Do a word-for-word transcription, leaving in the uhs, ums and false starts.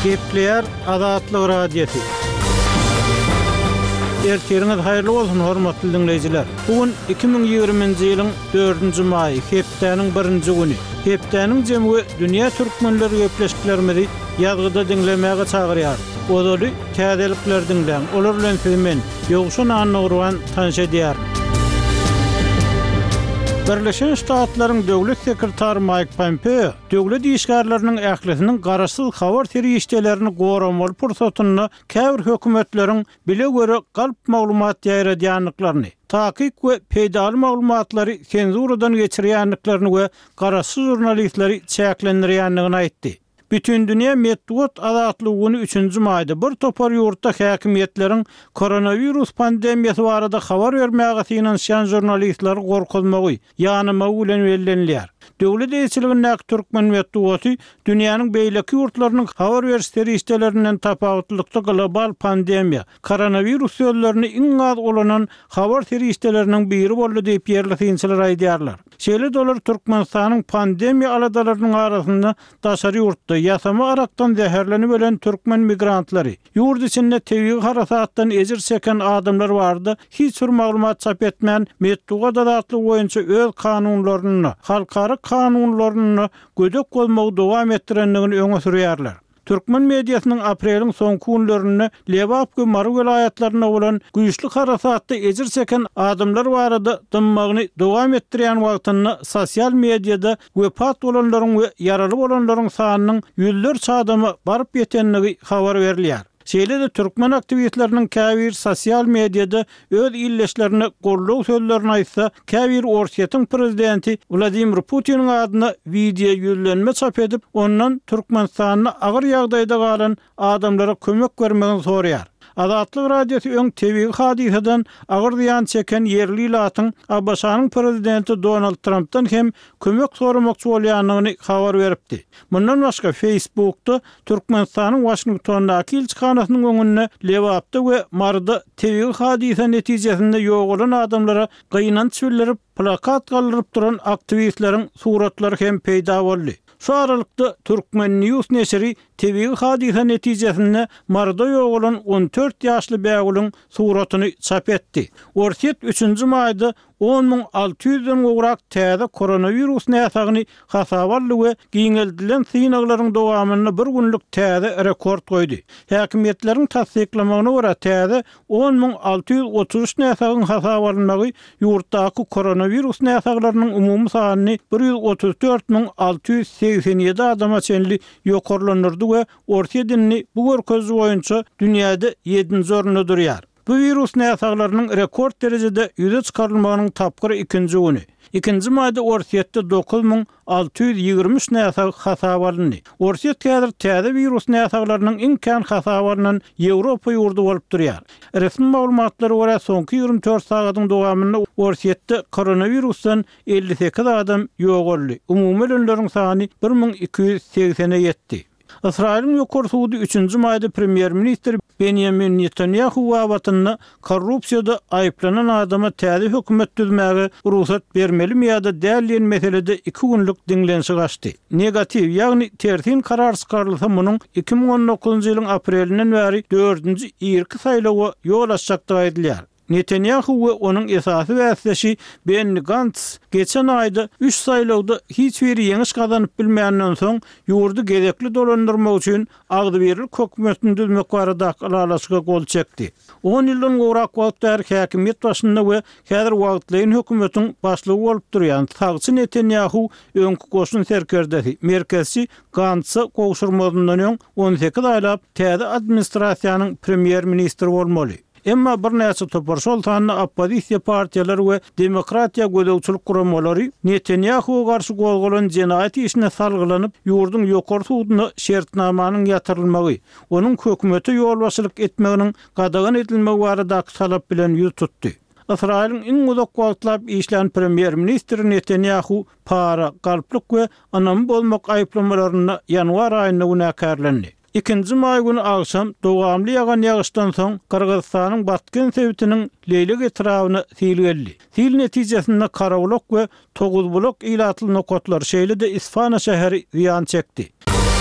Gepleýär Azatlyk Radiosy. Ertiriňiz haýyrly bolsun hormatly diňleýjiler. Bu gün iki müň ýigriminji ýylyň dördünji maýy, hepdäniň birinji güni. Hepdäniň jemi we dünýä türkmenleri gepleşiklerimizi ýazgyda diňlemäge çagyrýar. Ozaly täzelikleri diňläň. Olar bilen sizi men Ýowşan Annagurban tanyş edýärin. Birleşen Ştatlaryň Döwlet sekretary Maýk Pompeo döwlet işgärleriniň ählisiniň garaşsyz habar serişdelerini goramaly pursatynda käbir hökümetleriň bile göre galp maglumat ýaýradýandyklaryny, takyk we peýdaly maglumatlary senzuradan geçirýändiklerini we garaşsyz žurnalistleri çäklendirýändigini aýtdy. Bütindünýä metbugat azatlygy güni üçünji maýda bir topar ýurtda häkimiýetleriň koronawirus pandemiýasy barada habar bermäge synanyşýan žurnalistleri gorkuzmagy, ýanamagy bilen bellenilýär. Döwlet eýeçiligindäki türkmen metbugaty dünýäniň beýleki ýurtlarynyň habar beriş serişdelerinden tapawutlylykda global pandemiýa, koronawirus sözlerini iň az ulanan habar serişdeleriniň biri boldy diýip ýerli synçylar aýdýarlar. Şeýle-de olar Türkmenistanyň pandemiýa aladalarynyň arasynda daşary ýurtda ýasama arakdan zäherlenip ölen türkmen migrantlary, ýurt içinde tebigy harasatdan ejir çeken adamlar barada hiç bir maglumat çap etmän, metbugat azatlygy boýunça öz kanunlaryny, halkara kanunlaryny gödek bolmagy dowam etdirendigini öňe sürýärler. Türkmen mediasynyň apreliň soňky günlerinde Lebap we Mary welaýatlarynda bolan güýçli harasatda ejir çeken adamlar barada dymmagyny dowam etdirýän wagtynda sosial mediada wepat bolanlaryň we ýaraly bolanlaryň sanynyň ýüzlerçe adama baryp ýetendigi habar berilýär. Şeýle-de türkmen aktiwistleriniň käbir sosial mediada öz illeşlerine goldaw sözlerini aýtsa, käbir Orsýetiň prezidenti Wladimir Putiniň adyna wideo ýüzlenme çap edip, ondan Türkmenistanda agyr ýagdaýda galan adamlara kömek bermegini soraýar. Azatlyk Radiosy öň tebigy hadysadan agyr zyýan çeken ýerli ilatyň A B Ş-nyň prezidenti Donald Trumpdan hem kömek soramakçy bolýandygyny habar beripdi. Mundan başga Facebookda Türkmenistanyň Washingtondaky ilçihanasynyň öňünde Lebapda we Maryda tebigy hadysa netijesinde ýogalan adamlara gynanç bildirip, plakat galdyryp duran aktiwistleriň suratlary hem peýda boldy. Şu aralykda Türkmen News neşiri tebigy hadysa netijesinde Maryda ýogalan on dört ýaşly bägüliň suratyny çap etdi. Orsýet üçünji maýda on müň alty ýüzden gowrak täze koronawirus näsagyny hasaba aldy we giňeldilen synaglaryň dowamynda bir günlük täze rekord goýdy. Häkimiýetleriň tassyklamagyna görä täze on müň alty ýüz otuz üç näsagyň hasaba alynmagy ýurtdaky koronawirus näsaglarynyň umumy sanyny bir ýüz otuz dört müň alty ýüz segsen ýedi adama çenli ýokarlandyrdy we Orsýet indi bu görkeziji boýunça dünýäde ýedinji orunda durýar. Bu wirus näsaglarynyň rekord derejede ýüze çykarylmagynyň tapgyry ikinji güni. Ikinji maýda Orsýetde dokuz müň alty ýüz ýigrimi üç näsag hasaba alyndy. Orsýet häzir täze wirus näsaglarynyň iň kän hasaba alynan Ýewropa ýurdy bolup durýar. Resmi maglumatlara görä soňky ýigrimi dört sagatyň dowamynda Orsýetde koronawirusdan elli sekiz adam ýogaldy. Umumy ölenleriň sany bir müň iki ýüz segsene ýetdi. Ysraýylyň ýokary sudy üçünji maýda premýer-ministr Benýamin Netanýahu babatynda korrupsiýada aýyplanan adama täze hökümet düzmäge rugsat bermelimi ýa-da däl diýen meselede iki günlük diňlenişik açdy. Negatiw, ýagny tersin karar çykarylsa munuň iki müň on dokuzynjy ýylyň aprelinden bäri dördünji irki saýlawa ýol açjakdygy aýdylýar. Netanýahu we onuň esasy bäsdeşi Benni Gantz geçen aýda üç saýlawda hiç biri ýeňiş gazanyp bilmänden soň ýurdy gezekli dolandyrmak üçin agzybirlik hökümetini düzmek baradaky ylalaşyga gol çekdi. On ýyldan gowrak wagt bäri häkimiýet başynda we häzir wagtlaýyn hökümetiň başlygy bolup durýan sagçy Netanýahu öňki goşun serkerdesi, merkezçi Gantza gowşurmazyndan öň on sekiz aýlap täze administrasiýanyň premýer-ministri bolmaly. Emma birnäçe topar, şol sanda oppozisiýa partiýalary we demokratiýa gözegçilik guramalary Netanýahuwa garşy gozgalan jenaýat işine salgylanyp, ýurduň ýokary suduna şertnamanyň ýatyrylmagy, onuň hökümete ýolbaşçylyk etmeginiň gadagan edilmegi baradaky talap bilen ýüz tutdy. Ysraýylyň iň uzak wagtlap işlän premýer-ministri Netanýahu para, galplyk we ynamy bozmak aýyplamalarynda ýanwar aýynda günäkärlendi. Ikinji maý güni agşam dowamly ýagan ýagyşdan soň Gyrgyzystanyň Batken sebitiniň Leýlek etrabyna sil geldi. Sil netijesinde Karabulak we Toguzbulak ilatly nokatlar, şeýle-de Isfana şäheri zyýan çekdi.